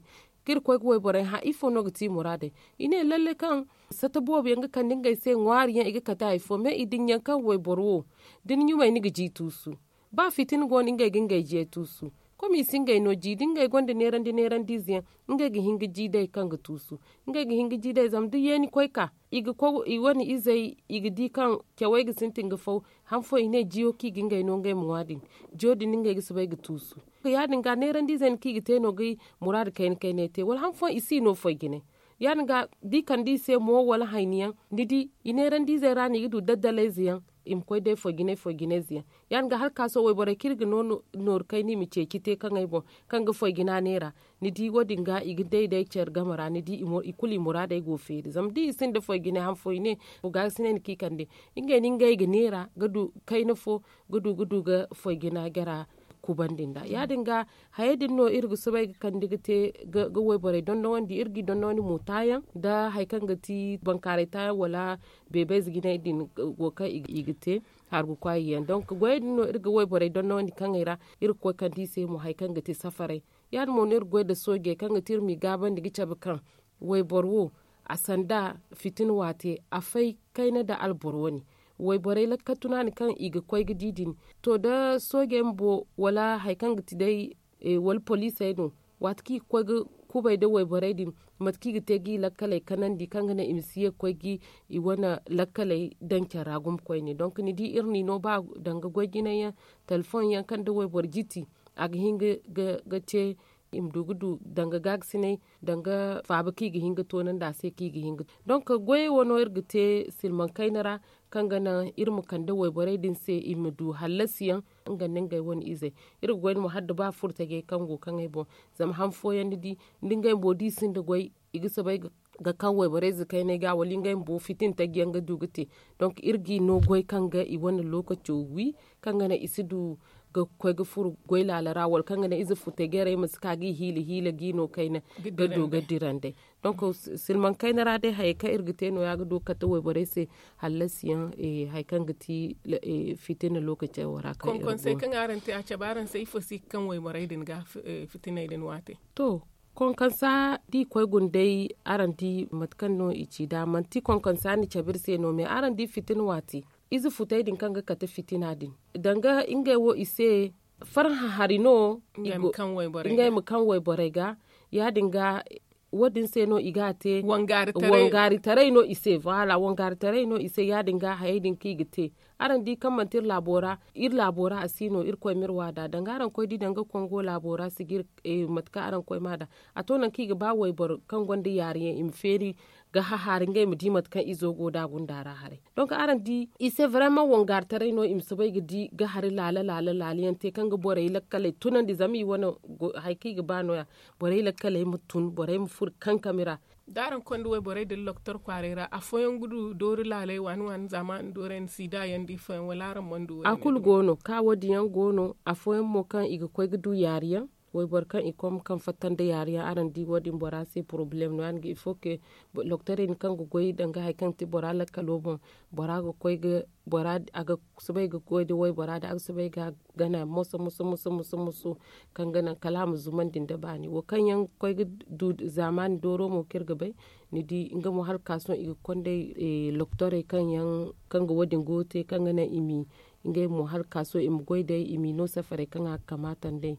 kaŋ iri koy ga wayborey hã ifo no ga ti i muraadey? I ne lalle kaŋ sata boobo yaŋ ga kande ngey se ŋwaari yaŋ i ga kate hari fo me i din yaŋ kaŋ wayboro wo da ni ɲumay ni ga ji tuusu. Ba fitina go no ngey ga ngey jiyey tuusu. Komi i si ngey no ji da ngey gonda neerandi neerandiize yaŋ ngey ga hin ga ji day kaŋ ga tuusu. Ngey ga hin ga ji day zama da yeeni koy ka i ga koy i wane izey i ga di kaŋ cawey ga sintin ga faw. Han fooyaŋ i ne jiyo kaŋ i ga ngey no ngey ma ŋwa din jiyo din no ngey ga soobay ga tuusu. Ya- din ga neerandiizey no kaŋ i ga te no ga muraadu kayna kaynay te wala han fooyaŋ i si no foy jinay. Ya- din ga da i kande i se mo wala hayni yaŋ ni di i neerandiizey ra no i ga du daddalayze yaŋ i ma koy day foy jinay foy jinayze yaŋ. Ya- din ga hala ka sohõ wayborey kaŋ iri ga no nooru kayna i ma ceeci te kaŋ ay boŋ kaŋ ga foy jina neera. Ni di wo- din ga i ga day day care game ra ni di i kulu i muraadey go feeri zama da i sinda foy jinay han fooyaŋ i ne gaagasinay no kaŋ i kande ngey no ngey ga neera ga du kayna fo ga du ga du ga foy jina jara. Kubandi nd'a ya- din ga hayey din no iri ga soobay ga kande ga te ga wayborey dondonandi iri g'i dondonandi mo taayaŋ nda hari kaŋ ga ti bankaaray taayaŋ wala beebayze jinay din wo kaŋ i ga te hargu kwaayi yaŋ donk goyey din no iri ga wayborey dondonandi kaŋey ra. Iri ga koy kande i se mo hari kaŋ ga ti safaray ya- din mo no iri ga goy nda soojey kaŋ ga ti iri m'i gaabandi ga cabe kaŋ wayboro wo a sanda fitina waate a fay kayna nda alboro wane wayborey lakkal tunaani kaŋ i ga koy ga di din. To da soojey bumbo wala hari kaŋ ga ti day wala poliisey no waati kaŋ i ga koy ga kubay nda wayborey din mate kaŋ i ga te ga i lakkaley kanandi kaŋ ga naŋ i ma si ye ga koy ga i wane lakkaley daŋ care ra gumo koyne donk ni di iri n'i no ba danga goy jinay yaŋ telefoŋ yaŋ kaŋ nda wayboro jiti a ga hin ga te i ma du ga du danga gaagasinay danga faaba kaŋ i ga hin ga toonandi a se kaŋ i ga hin ga donk goyey wo no iri ga te silmaŋ kayna ra kaŋ ga naŋ iri ma kande wayborey din se i ma du hallasiyaŋ. Nga nda ngey wane izey iri ga goy nda mo hala da ba furo tajey kaŋ go kaŋ ay boŋ zama han fooyaŋ ni di nda ngey bumbo da i sinda goy i ga soobay ga kaŋ wayborey ze kayney ga wala ngey bumbo fitina taji yaŋ ga du ga te. Donk iri g'i no goy kaŋ ga i wane lookaco wi kaŋ ga naŋ i si du ga koy ga furo goy laala ra wala kaŋ ga naŋ ize futay garey ma si ka g'i hiila hiila g'i no kayna ga du ga dira nd'ey. Donk silmaŋ kayna ra day hayey kaŋ iri ga te no- ya ga du ga kate wayborey se hallasiyaŋ hari kaŋ ga ti fitina lookacey wo ra kaŋ iri go no. Konkoŋsey kaŋ araŋ te a cabe araŋ se ifo se i ga kaŋ wayborey din ga fitiney din waate? To konkonsa da i koy guna day araŋ di mate kaŋ no i ci nd'a manti konkonsa na cabe iri se no me araŋ di fitina waate ize futey din kaŋ ga kate fitina din danga ngey wo i se farhã hari no ngey ma kaŋ wayborey ga ya- din ga wo- din se no i ga a te wangaari taray no i se voilà wangaari taray no i se ya- din ga hayey din kaŋ i ga te. Araŋ di kaŋ manti iri laabo ra a si no irkoy ma iri waada danga araŋ koy di danga kongo laabo ra sijir mate kaŋ araŋ koy ma a da a to nangu kaŋ i ga ba wayboro kaŋ gonda yaari yaŋ i ma feeri ga hahaari ngey ma di mate kaŋ izo go nd'a gunda ra haray. Donk araŋ di i se vraiment wangaari taray no i ma soobay ga di ga hari laala laala laala yaŋ te kaŋ ga borey lakkaley tunandi zama i wane hari kaŋ i ga ba no- ya borey lakkaley ma tun borey ma furo kankami ra. Da araŋ konda wayborey din loktor kwaaray ra afooyaŋ ga du doori laaley waani waani zaama nda doorey nda siida yaŋ nda ifooyaŋ wala araŋ mana du wo- din a kulu go no ka wo- din yaŋ go no afooyaŋ mo kaŋ i ga koy ga du yaari yaŋ Wayboro kaŋ i kom kaŋ fatta nda yaari yaŋ araŋ di wo- din bora se porobalem no ya- din ga il faut que loktorey din kaŋ ga goy danga hari kaŋ ga te bora lakkalo boŋ, bora ga koy ga bora a ga soobay ga goy nda waybora din a ga soobay ga a gana moso moso moso kaŋ ga naŋ kala a ma zumandi nda baani wo kaŋ yaŋ ga koy ga du zaamaani dooro mo kaŋ iri ga bay. Ni di nga mo hala ga ka sohõ i ga konday loktorey kaŋ ga wo- din go ga te kaŋ ga naŋ i ma ngey mo hala ga ka sohõ i ma goy day i m'i no safaray kaŋ a ga kamaata nd'ey.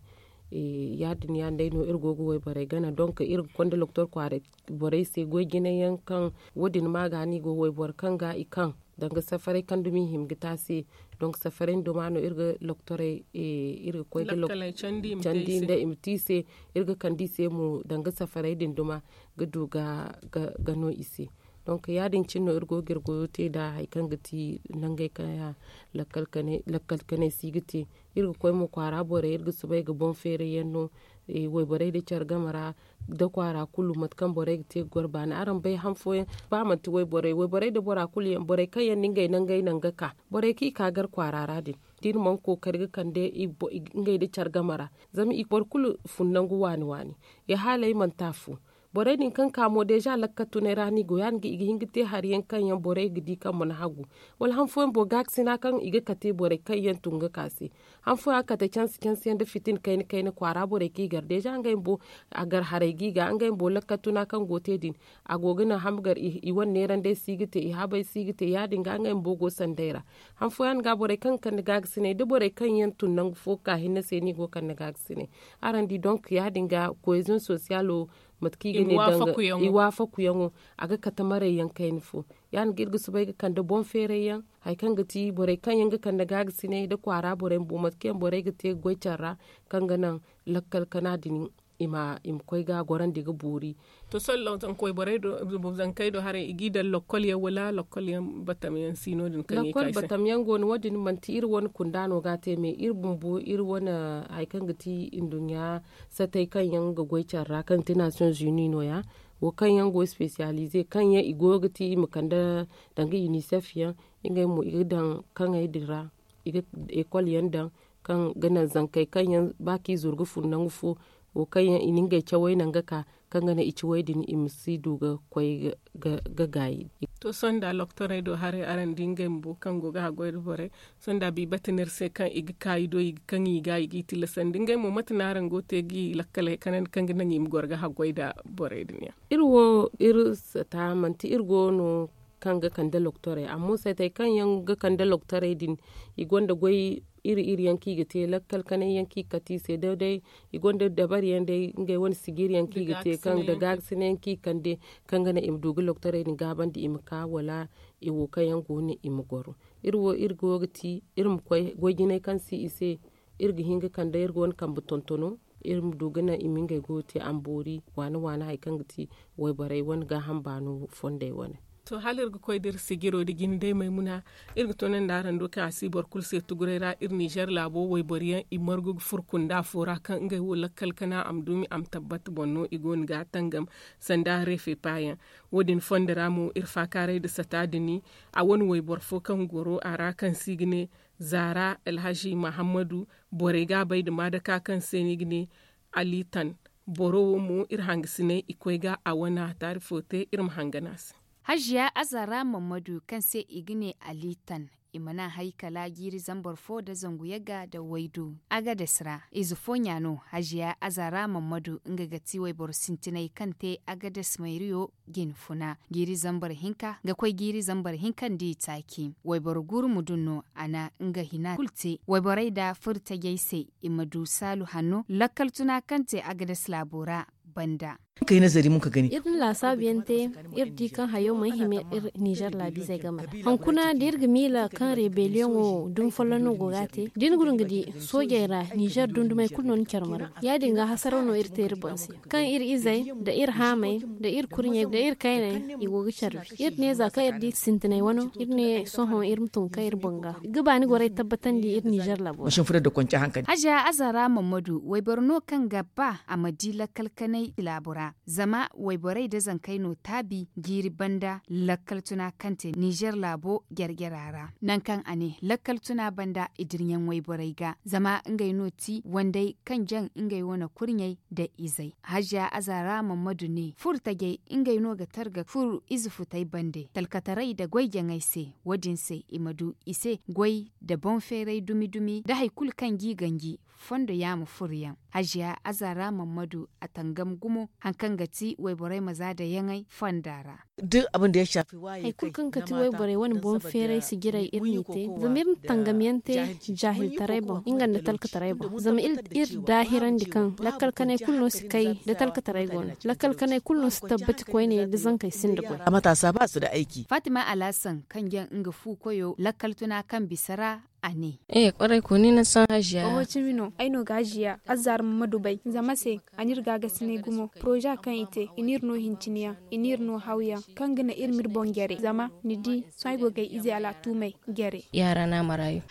Ya- din yaŋ day no iri go ga wayborey gana donk iri ga konda loktor kwaaray borey se goy jinay yaŋ kaŋ wo- din ma ga no i go wayboro kaŋ ga i kaŋ danga safaray kaŋ dumi i hima ga te a se. Donk safaray nda duma no iri ga loktorey iri ga koy ga candi nda i ma te i se. Iri ga kande i se mo danga safaray din duma ga du ga no i se. Donk ya- din cine no iri go ga iri goyo te nd'a hari kaŋ ga ti nangey kaŋ lakkal kanay si ga te. Iri ga koy mo kwaara borey iri ga soobay ga boŋ feeray yaŋ no wayborey nda care game ra nda kwaara kulu mate kaŋ borey ga te ga goro baani araŋ bay han fooyaŋ ba manti wayborey wayborey nda bora kulu yaŋ borey kaŋ yaŋ no ngey nangey naŋ ga ka borey kaŋ i ka gar kwaara ra din da iri mana kookari ga kande ngey nda care game ra. Zama i boro kulu fun nangu waani waani. Ya haalay manti afo borey din kaŋ ka mo deeza lakkal tunay ra no i go ya- din ga i ga hin ga te hari yaŋ kaŋ yaŋ borey ga di kaŋ mana hagu wala han fooyaŋ boro gaakasina kaŋ i ga kate borey kaŋ yaŋ tun ga ka se. Han fooyaŋ a ga kate cansi cansi yaŋ nda fitina kayna kayna kwaara borey kaŋ i gar deeza ngey bumbo a gar haray ga i ga ngey bumbo lakkal tuna kaŋ go ga te din a go ga naŋ hamgar i wane neerandey si ga te i habey si ga te ya- din ga ngey bumbo go sanday ra. Han fooyaŋ ga borey kaŋ ga kande gaagasinay da borey kaŋ yaŋ tun nangu fo ga ka hinne se no i go ga kande gaagasinay. Araŋ di donk ya- din ga koyeziyoŋ sosiyalo mate kaŋ i ga ne i waafaku yaŋo a ga kate maray yaŋ kayna fo. Ya- din ga iri ga soobay ga kande boŋ feeray yaŋ hari kaŋ ga ti borey kaŋ yaŋ ga kande gaagasinay nda kwaara borey bumbo mate kaŋ yaŋ borey ga te ga goy care ra kaŋ ga naŋ lakkal kana din i ma koy ga a gorandi ga boori. To sohõ zankey do haray i g'i daŋ lakkol yaŋ wala lakkol yaŋ batam yaŋ si no- din kaŋ i ga i se? Lakkol batam yaŋ go no wo- din manti iri wane kunda no ga a te me iri bumbo iri wane hari kaŋ ga ti nduɲɲa satey kaŋ yaŋ ga goy care ra kaŋ ga ti nation zuni no- ya wo kaŋ yaŋ go spesiyalize kaŋ yaŋ i go ga ti i ma kande danga inisef yaŋ ngey mo i ga daŋ kaŋey din ra i ga ekol yaŋ daŋ kaŋ ga naŋ zankey kaŋ yaŋ ba kaŋ i zuru ga fun nangu fo wo kaŋ yaŋ i na ngey cawey naŋ ga ka kaŋ ga naŋ i ciwey din i ma si du ga koy ga gaayi. To sohõ nda loktorey do haray araŋ di ngey bumbo kaŋ go ga haggoy nda borey sohõ nda biibata no iri se kaŋ i ga ka i do i ga kaŋ i ga i g'i tillasandi ngey mo mate no araŋ go ga te g'i lakkaley kanandi kaŋ ga naŋ i ma goro ga haggoy nda borey din yaŋ? Iri wo iri sata manti iri go no kaŋ ga kande loktorey amma seetey kaŋ yaŋ ga kande loktorey din i gonda goy iri iri yaŋ kaŋ i ga te lakkal kanay yaŋ kaŋ i ga kate i se day day i gonda dabari yaŋ day ngey wane sijiri yaŋ kaŋ i ga te kaŋ da gaagasinay yaŋ kaŋ i ga kande kaŋ ga naŋ i ma du ga loktorey din gaabandi i ma ka wala i wo kaŋ yaŋ go no i ma goro. Iri wo iri go ga ti iri ma koy goy jinay kaŋ si i se iri ga hin ga kande iri ga wane kambe tontono iri ma du ga naŋ i ma ngey goyo te a ma boori waana waana hari kaŋ ga ti wayborey wane gaaham baano fondey wane. To hala iri ga koy da iri sijiro nda jinde maymuna iri ga toonandi araŋ do kaŋ a si boro kulu se tuguray ra iri ninzeer laabo wayboro yaŋ i margu ga furo kunda fo ra kaŋ ngey wo lakkal kana a ma duumi a ma tabbat boŋ no i go no ga a tangam sanda reefepa yaŋ. Wo- din fondo ra mo iri faakaaray nda sata din a wane wayboro fo kaŋ goro a ra kaŋ se i ga ne zaara alhazi mahammadu borey ga a bay nda maadaka kaŋ se no i ga ne alitan. Boro wo mo iri hangasiney i koy ga a wane a taari fo te iri ma hangan a se. Haziya azara mammadu kaŋ se i ga ne alitan i mana hay kala jiiri zambar fo nda zangu yagga nda waydu agades ra ize fooɲa no haziya azara mammadu nga ga ti wayboro sintinay kaŋ te agades mayriyo jine funa jiiri zambar hinka ga koy jiiri zambar hinka nda i taaci wayboro guuru ma dun no a na nga hina kulu te wayborey nda furo tajey se i ma du saalu hanno lakkal tuna kaŋ te agades laabo ra banda. Iri na laasaabu yaŋ te iri di kaŋ hayo mana hima iri nizer laabiizey game ra. Hunkuna da iri ga miila kaŋ rebeliyoŋo dumi folloŋ no go ga a te da ni guna ga di soojey ra nizer dundumey kulu no ni care margu ya- din ga hasaraw no iri te iri boŋ se kaŋ iri izey nda iri haamey nda iri kurɲey nda iri kayney i go ga care wi iri ne za kaŋ iri di sintinay wano iri ne sohõ iri ma tun ga kay iri boŋ ga ga ba ni gorey tabbatandi iri nizer laabo ra. Haziya azara mammadu wayboro no kaŋ ga ba a ma di lakkal kanay laabo ra. ra. Zama wayborey nda zankey no taabi jiiri banda lakkal tuna kaŋ te ninzeer laabo jare-jara ra, nangu kaŋ a ne lakkal tuna banda i dirɲaŋ wayborey ga zama ngey no ti wanday kaŋ jaŋ ngey wane kurɲey nda izey. Haziya azaara mammadu ne furo tajey ngey no ga targa furo ize futey bande talkataray nda goy jaŋey se. Wo- din se i ma du i se goy nda boŋ feeray dumi-dumi nda hari kulu kaŋ g'i ganji fondo yaama furoyaŋ. Haziya azaara mammadu a tangam gumo hari kaŋ ga ti wayborey ma za dayaŋey fonda ra. Hari kulu kaŋ ga ti wayborey wane boŋ feeray sijirey iri n'i te zama iri na tangam yaŋ te jaahiltaray boŋ nga nda talkataray boŋ zama iri daahirandi kaŋ lakkal kanay kulu no si kay da talkataray go no. Lakkal kanay kulu no si tabbati koyne da zankey sinda goy. Faatima alhasan kaŋ jaŋ nga fu koyo lakkal tuna kaŋ bisa ra a ne. Oho cimi no ay no ga haziya azzaara ma ma dubay zama se a n'iri gaagasinay gumo poroza kaŋ i te i n'iri no hinciniyaŋ i n'iri no hawyaŋ kaŋ ga naŋ iri m'iri boŋ jare zama ni di sohõ ay go ga ay ize al'atuumey jare.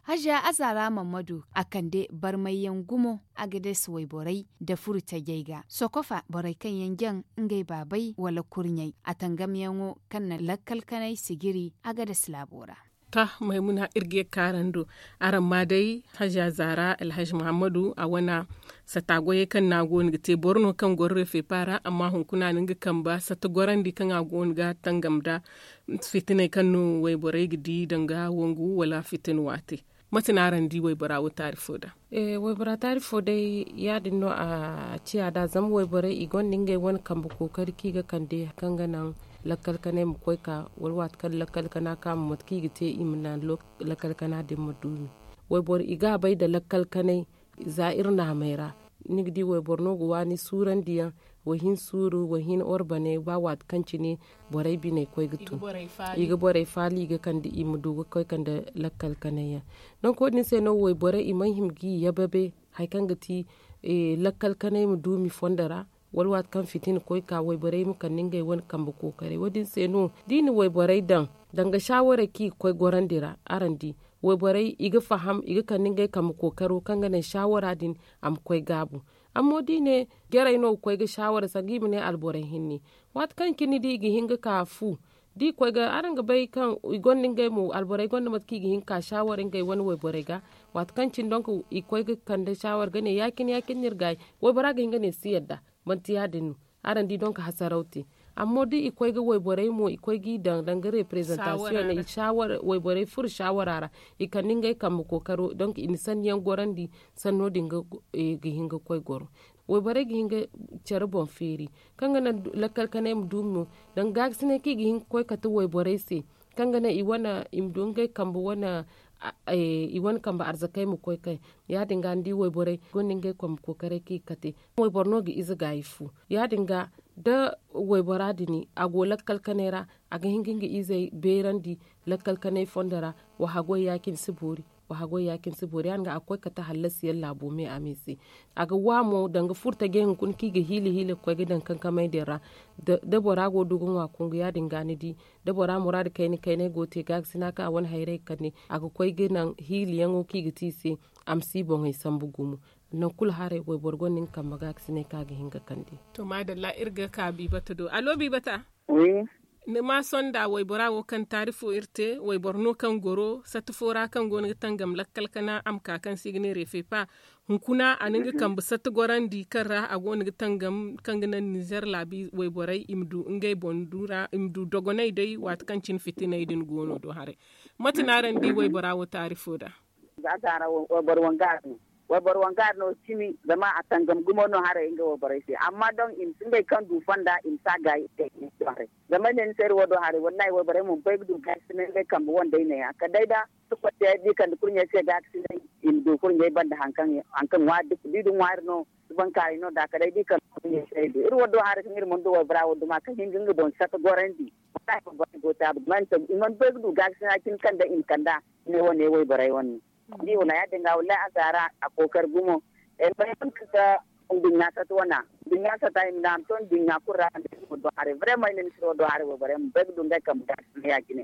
Haziya azaara mammadu a kande barmayyaŋ gumo a ga deesi wayborey nda furo tajey ga sokofa borey kaŋ yaŋ jaŋ ngey baabey wala kurɲey a tangamyaŋo kaŋ na lakkal kanay sijiri a ga deesi laabo ra. To maymuna iri ga ye ga ka araŋ do araŋ ma day haziya zaara alhazi muhammadu a wane sata goyey kaŋ no a go no ga te boro no kaŋ goro refepa ra amma hunkuna a na nga kambe sata gorandi kaŋ a go no ga tangam nda fitiney kaŋ no wayborey ga di danga wangu wala fitina waate. Mate no araŋ di waybora wo taari fo da? Waybora taari fo day ya- din no a ciya nd'a zama wayborey i gonda ngey wane kambe kookari kaŋ i ga kande kaŋ ga naŋ lakkal kanay ma koy ka wala waati kaŋ lakkal kana ka ma mate kaŋ i ga te i ma naŋ lakkal kana din ma duumi. Wayboro i ga a bay nda lakkal kanay za iri naamey ra ni ga di wayboro no ga waani suurandi yaŋ, wahin suuru wahin orbane ba waati kaŋ cine borey biney koy ga tun i ga borey faali i ga kande i ma du ga koy kande lakkal kanay yaŋ. Donk wo- din se no wayborey i mana hima ga i yababe hari kaŋ ga ti lakkal kanay ma duumi fondo ra wala waati kaŋ fitina koy ka wayborey ma kande ngey wane kambe kookaray wo- din se no da i na wayborey daŋ danga shaawaray kaŋ i ga koy gorandi ra araŋ di wayborey i ga faham i ga kande ngey kambe kookaro kaŋ ga naŋ shaawara din a ma koy gaabu. Amma da i ne jarey no ga koy ga shaawara sanga i ma ne alborey hinne waati kaŋ cine da i ga hin ga ka fu da i koy ga araŋ ga bay kaŋ i gonda ngey mo alborey gonda mate kaŋ i ga hin ga ka shaawara ngey wane wayborey ga waati kaŋ cine donk i koy ga kande shaawara ga ne ya- cine ya- cine no iri gaayi. Waybora ga hin ga ne si yadda manti ya- din no araŋ di donk hasaraw te. Amma da i koy ga wayborey mo i koy g'i daŋ danga reprezantasiyoŋ i wayborey furo shaawara ra i kande ngey kambe kookaro donk i na sanni yaŋ gorandi sanno din ga hin ga koy goro. Wayborey ga hin ga care boŋ feeri kaŋ ga naŋ lakkal kanay ma duumi mo danga gaakasinay kaŋ i ga hin ga koy kate wayborey se kaŋ ga naŋ i wane i ma du ngey kambe wane i wane kambe arzakey ma koy kay. Ya- din ga ni di wayborey gonda ngey kambe kookaray kaŋ i ga kate wayboro no ga ize gaayi fu ya- din ga da waybora din a go lakkal kanay ra a ga hin ga nga izey beerandi lakkal kanay fondo ra. Wa haggoy ya- cine si boori wa haggoy ya- cine si boori ya- din ga a ga koy kate hallasi yaŋ laabo me a me se. A ga wa mo danga furo tajey hunkuna kaŋ i ga hiila hiila ga koy ga daŋ kankamey din ra da bora go ga du ga ŋwa kungu ya- din ga ni di da bora muraadu kayna kaynay go ga te gaakasina kaŋ a wane hayrey ga kande a ga koy ga naŋ hiila yaŋo kaŋ i ga te i se a ma si boŋey sambu gumo. Nangu kulu haray wayboro gonda nga kambe gaakasinay kaŋ a ga hin ga kande. To maadalla iri ga ka biibata do allo biibata. Ni ma sonda waybora wo kaŋ taari fo iri te wayboro no kaŋ goro sata fo ra kaŋ go no ga tangam lakkal kana a ma ka kaŋ se i ga ne refepa. Hunkuna a na nga kambe sata gorandi kaŋ ra a go no ga tangam kaŋ ga naŋ nizer laabi wayborey i ma du ngey boŋ du ra i ma du dogonay day waati kaŋ cine fitiney din go no do haray. Mate no araŋ di waybora wo taari fo da? Za zaara wayboro wangaari no wayboro wangaari no cimi zama a tangam gumo no haray nga wayborey se amma don i ma si ngey kaŋ du fonda i ma si a gaayi. Zama ay ne ni se iri wo do haray wallahi wayborey mo bay ga du gaakasinay ngey kambe wandey neeya kala day da sokotte ay di kande kurɲey se gaakasinay i ma du kurɲey banda hari kaŋ ŋwaari da i du ŋwaari no. Subankaaray no da kala day da i kande kurɲey se ay du iri wo do haray kaŋ iri mana du waybora wo duma kaŋ hin ga nga boŋ sata gorandi. Wallahi wayborey go taabu i mana bay ga du gaakasina cine kaŋ day i ma kand'a. Ne wane wayborey wane no. Ni di wala ya- din ga wallahi azaara a kookari gumo. Ay bay kaŋ ga nduɲɲa sata wana nduɲɲa sata i ma naanu to nduɲɲa kulu ra kaŋ day iri ma du haray vraiment ay ne misiro do haray wayborey ma bay ga du ngey kambe gaakasinay ya- cine.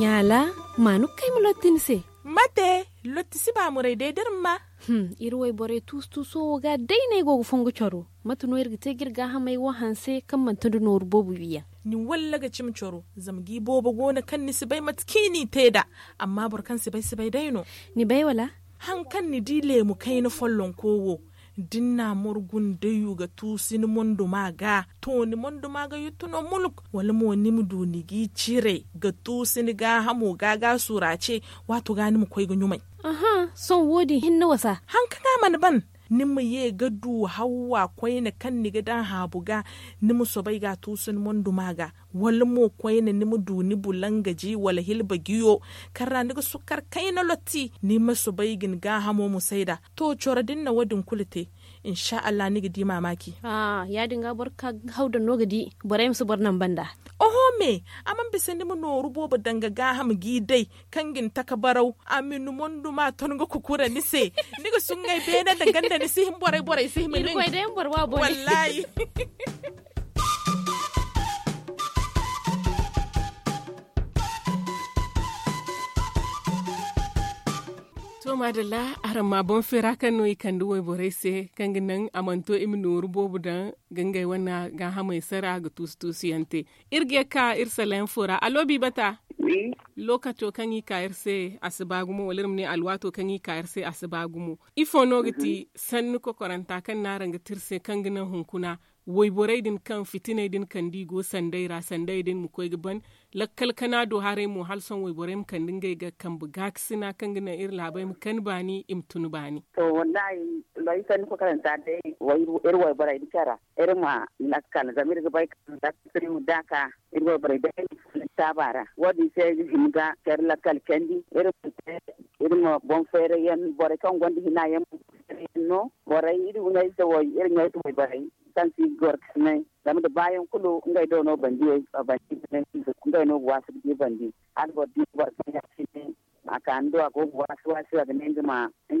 Ɲaala, maanu kay ma lotti ni se. Mate, lotti si baamuray day da iri ma. Iri wayborey tuusu-tuuso wo ga day no ay go ga fongu caro. Mate no iri ga te ga iri gaahamey wo hanse kaŋ manti nda nooru boobo wiiyaŋ? Ni walla ga cimi coro zama ga i boobo go no kaŋ ni si bay mate kaŋ i n'i te nd'a. Amma boro kaŋ si bay si bay day no. Ni bay wala? Haŋ kaŋ ni di leemu kayna follonko wo, da ni n'a morgu ni dayu ga tuusu ni monduma ga, to ni monduma ga yuttu no muluk, wala mo ni ma du ni g'i cire ga tuusu ni gaahamo ga ga suraace. Waato ga ni ma koy ga ɲumay. Sohõ wo- din hinne wasa. Haŋ kaŋ a mana ban, ni ma ye ga du hawwa koyne kaŋ ni ga daŋ haabu ga, ni ma soobay ga a tuusu ni monduma ga, wala mo koyne ni ma du ni bulangaji wala hilba jiyo, kaŋ ra ni ga sukkar kayna lotti, ni ma soobay ga ni gaahamo musay nd'a. To coro da ni na wo- din kulu te, insa allah ni ga di maamaaci. Ya- din ga boro ga ka haw daŋ no ga di borey ma si boro naŋ banda. Oho me, a mana bisa ni ma nooru boobo daŋ ga gaaham g'i day, kaŋ ga ni taka baraw, a ma ni monduma ton ga kukura ni se. Ni ga suŋay beene nda ganda ni si hin borey borey si hima nin. Wallaahi. To maadalla, araŋ ma boŋ feera kaŋ no i kande wayborey se, kaŋ ga naŋ a mana to i ma nooru boobo daŋ ga ngey wane gaahamey sara ga tuusu tuusu yaŋ te. Iri ga ye ga ka iri sala yaŋ fo ra aloobi bata. Lookaco kaŋ i ka iri se a si ba gumo wala iri ma ne alwaato kaŋ i ka iri se a si ba gumo. Ifo no ga ti sanni kokoranta kaŋ no araŋ ga te iri se kaŋ ga naŋ hunkuna wayborey din kaŋ fitiney din kande i go sanday ra sanday din ma koy ga ban lakkal kana do haray mo hala sohõ wayborey ma kande ngey ga kambe gaakasina kaŋ ga naŋ iri laabey ma kani baani i ma tun baani. To wallaahi, looyi sanni kokoranta day, iri wayborey da care ra iri ma lakkal zama iri ga bay kaŋ lakkal iri ma daaka iri wayborey day ma fun taaba ra. Wo- din se iri ga hima ga care lakkal candi iri ma te iri ma boŋ feeray yaŋ borey kaŋ gonda hina yaŋ boŋ feeray yaŋ no borey iri ɲayze way iri ɲayze wayborey kaŋ si ga goro ga sinay zama nda baayaŋ kulu ngey do no bandi ngey no ga waasu ga di bandi hala boro di boro kaŋ ya- cine a ka ni do a go ga waasi waasi a ga ne nga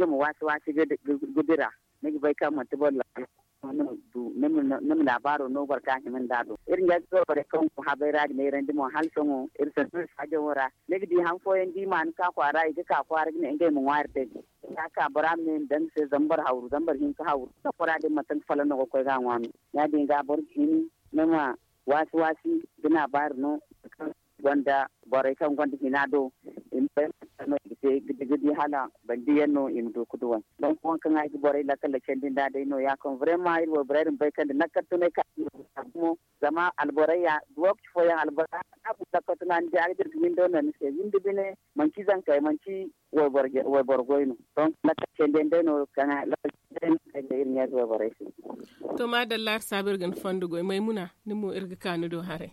ma waasi waasi ga dira ni ga bay kaŋ manti boro laabo no ni ma laabaaro no boro kaŋ a hima nd'a do iri ɲayze wayborey kaŋ go habay ra ga neerandi mo hala sohõ iri sintin saajaŋo ra ni ga di han fooyaŋ da i ma ni ka kwaara i ga ka kwaara ga ne ngey ma ŋwaari day. Ya- ka bora ma ne ma daŋ ni se zama boro hawru zama boro hin ga hawru zama bora din manti nga fala no ga koy ga a ŋwa no. Ya- din ga boro ga hini ni ma waasi waasi ga naabaari no kaŋ gonda borey kaŋ gonda hina do i ma bay mate no i ga te ga di hala bandi yaŋ no i ma du ga duw'ey. Donk waŋ kaŋ ay ga borey lakkal candi nd'a day no- ya kaŋ brema iri wayborey din bay kaŋ nda lakkal tunay ka gumo zama alborey ya lokaci fooyaŋ alborey a ga lakkal tuna ni di a ga dira ga windo no ni se windi bine manci zankey manci wayboro goy no. Donk lakkal candi yaŋ day no kaŋ ay ga iri ɲayze wayborey se. To maadalla iri saabu iri ga ni fondo goy maymuna ni mo iri ga ka ni do haray.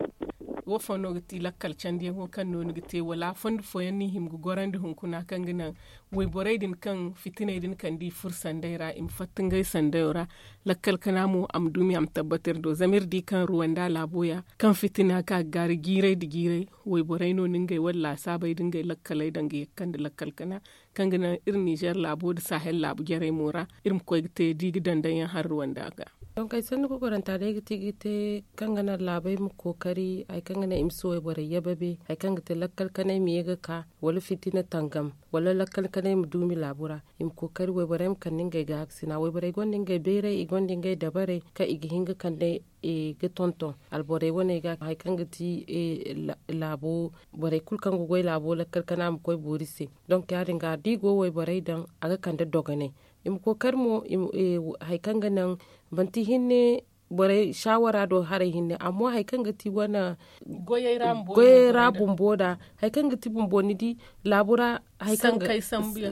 Wo fo no ga ti lakkal candiyaŋo kaŋ no ni ga te wala fondo fooyaŋ no i hima ga gorandi hunkuna kaŋ ga naŋ wayborey din kaŋ fitiney din kande i furo sanday ra i ma fatta ngey sandayo ra. Lakkal kana mo a ma duumi a ma tabbata iri do zama iri di kaŋ ruwanda laabo ya kaŋ fitina ka ga gaari jiiray nda jiiray wayborey no no ngey wane laasaabey nda ngey lakkaley daŋ ga ye ga kande lakkal kana kaŋ ga naŋ iri nizer laabo nda sahel laabu jarey mo ra iri ma koy ga te da i ga daŋ daŋ yaŋ hari ruwanda ga. Donk ay sanni kokoranta day ga ti ga te kaŋ ga naŋ laabey ma kookari hari kaŋ ga naŋ i ma si wayborey yababe hari kaŋ ga te lakkal kanay ma ye ga ka wala fitina tangam wala lakkal kanay ma duumi laabu ra i ma kookari wayborey ma kande ngey gaakasina wayborey gonda ngey bayray i gonda ngey dabarey kaŋ i ga hin ga kande ga tonton alborey wane ga hari kaŋ ga ti laabo borey kulu kaŋ ga goy laabo lakkal kana ma koy boori se. Donk ya- din ga da i go wayborey daŋ a ga kande dogonay i ma kookari mo hari kaŋ ga naŋ manti hinne borey saawara do haray hinne amma hari kaŋ ga ti wane goyey ra bumbo da hari kaŋ ga ti bumbo ni di laabo ra hari kaŋ ga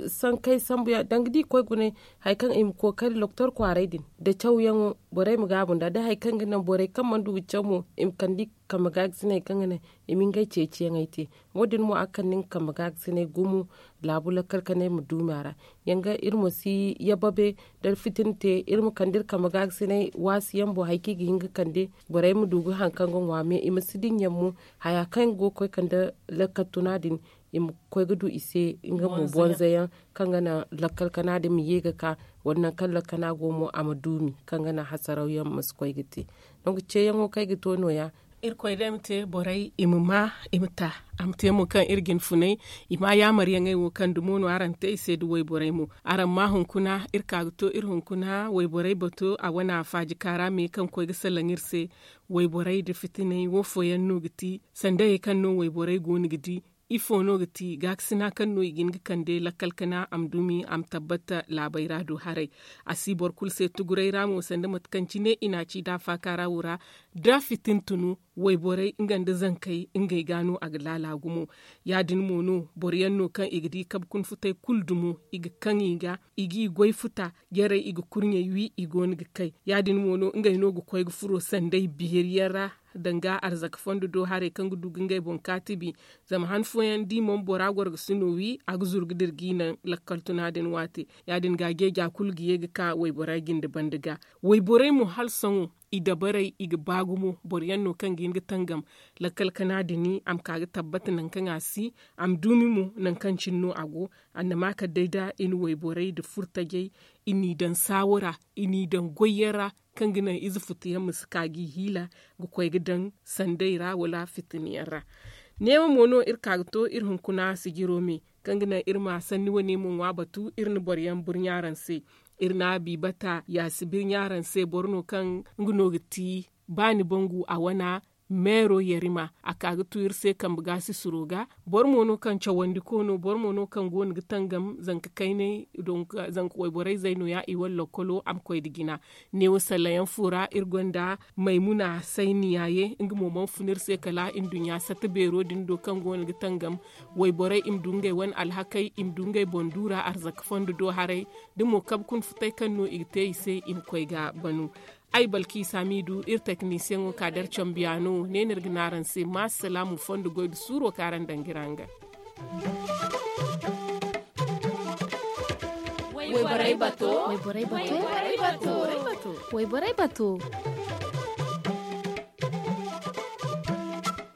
sankey sambu yaŋ danga da i koy gune hari kaŋ i ma kookari doktor kwaaray din da cawyaŋo borey ma gaabu nd'a da hari kaŋ ga naŋ borey kaŋ mana du ga caw mo i ma kande i kambe gaagasiney kaŋ ga naŋ i ma ngey ceeciyaŋey te. Wo- din mo a ga kande nga kambe gaagasiney gumo laabu lakkal kanay ma duumi a ra. Yanga iri ma si yababe da fitina te iri ma kande iri kambe gaagasiney waasi yaŋ boŋ hari kaŋ i ga hin ga kande borey ma du ga hari kaŋ ga ŋwa me i ma si dinya mo haya kaŋ go ga koy kande lakkal tuna din i ma koy ga du i se nga mo bonza yaŋ kaŋ ga naŋ lakkal kana din ma ye ga ka wala nangu kaŋ lakkal kana go mo a ma duumi kaŋ ga naŋ hasaraw yaŋ ma si koy ga te. Donk ceeyaŋo kaŋ ay ga to no- ya Irkoy day ma te borey i ma maa, i ma ta. A ma te mo kaŋ iri ga ni funay i ma a yaamaryaŋey wo kaŋ dumo no araŋ te i se nda wayborey mo. Araŋ ma hunkuna iri ka ga to iri hunkuna wayborey bato a wane a faaji kaara me kaŋ koy ga salaŋ iri se. Wayborey nda fitiney wo fooyaŋ no ga ti sanda hayey kaŋ no wayborey go no ga di? Ifo no ga ti gaakasina kaŋ no i ga hin ga kande lakkal kana a ma dumi a ma tabbata laabey ra du haray. A si boro kulu se tuguray ra mo sanda mate kaŋ cine i na a ci da a faaka ra wo ra. Da fitin tunu wayborey nga nda zankey ngey ga no a ga laala gumo. Ya- din mo no boro yaŋ no kaŋ i ga di kabe kuna futey kulu dumo i ga kaŋ i ga i g'i goy futa jarey i ga kurɲey wi i go no ga kay. Ya- din mo no ngey no ga koy ga furo sanday beeri yaŋ ra danga arzaka fondo do haray kaŋ ga du ga ngey boŋ kaatibi. Zama han fooyaŋ da i mana bora gorgasino wi a ga zuru ga dira g'i naŋ lakkal tuna din waate. Ya- din ga a geeja kulu ga ye ga ka wayborey jinde banda ga. Wayborey mo hala sohõ i dabarey i ga ba gumo boro yaŋ no kaŋ ga hin ga tangam lakkal kana din a ma ka ga tabbata nangu kaŋ a si a ma duumi mo nangu kaŋ cine no a go. Annama kala day da i na wayborey nda furtajey i n'i daŋ saawo ra i n'i daŋ goyyaŋ ra kaŋ ga naŋ ize futuyaŋ ma si ka g'i hiila ga koy ga daŋ sanday ra wala fitina yaŋ ra. Neewo mo no iri ka ga to iri hunkuna sijiro me kaŋ ga naŋ iri ma sanni wane mo ŋwa batu iri na boro yaŋ burɲa araŋ se. Iri na a bi bata yaasi birɲa araŋ se boro no kaŋ nga no ga ti ba ni bangu a wana meero yarima a ka ga tu iri se kambe ga sisiro ga. Boro mo no kaŋ cawandi ko no boro mo no kaŋ go no ga tangam zanka kaynay zanka wayborey zay no- ya i wane lokkolo a ma koy nda jina. Neewo sallayaŋ fo ra iri gonda maymuna sayni yaaye nga mo mana fun iri se kala nduɲɲa satta beero din do kaŋ go no ga tangam wayborey i ma du ngey wane alhakey i ma du ngey boŋ duura arzaka fondo do haray. Da mo kabe kuna futay kaŋ no i ga te i se i ma koy ga banu. Ay balki saamiidu iri teknisiyaŋo ka da iri cambiyaano ne no iri ga ne araŋ se ma salaamu fondo goy nda suuro kaŋ araŋ daŋ ga iri haŋ ga. Wayborey bato. Wayborey bato. Wayborey bato. Wayborey bato.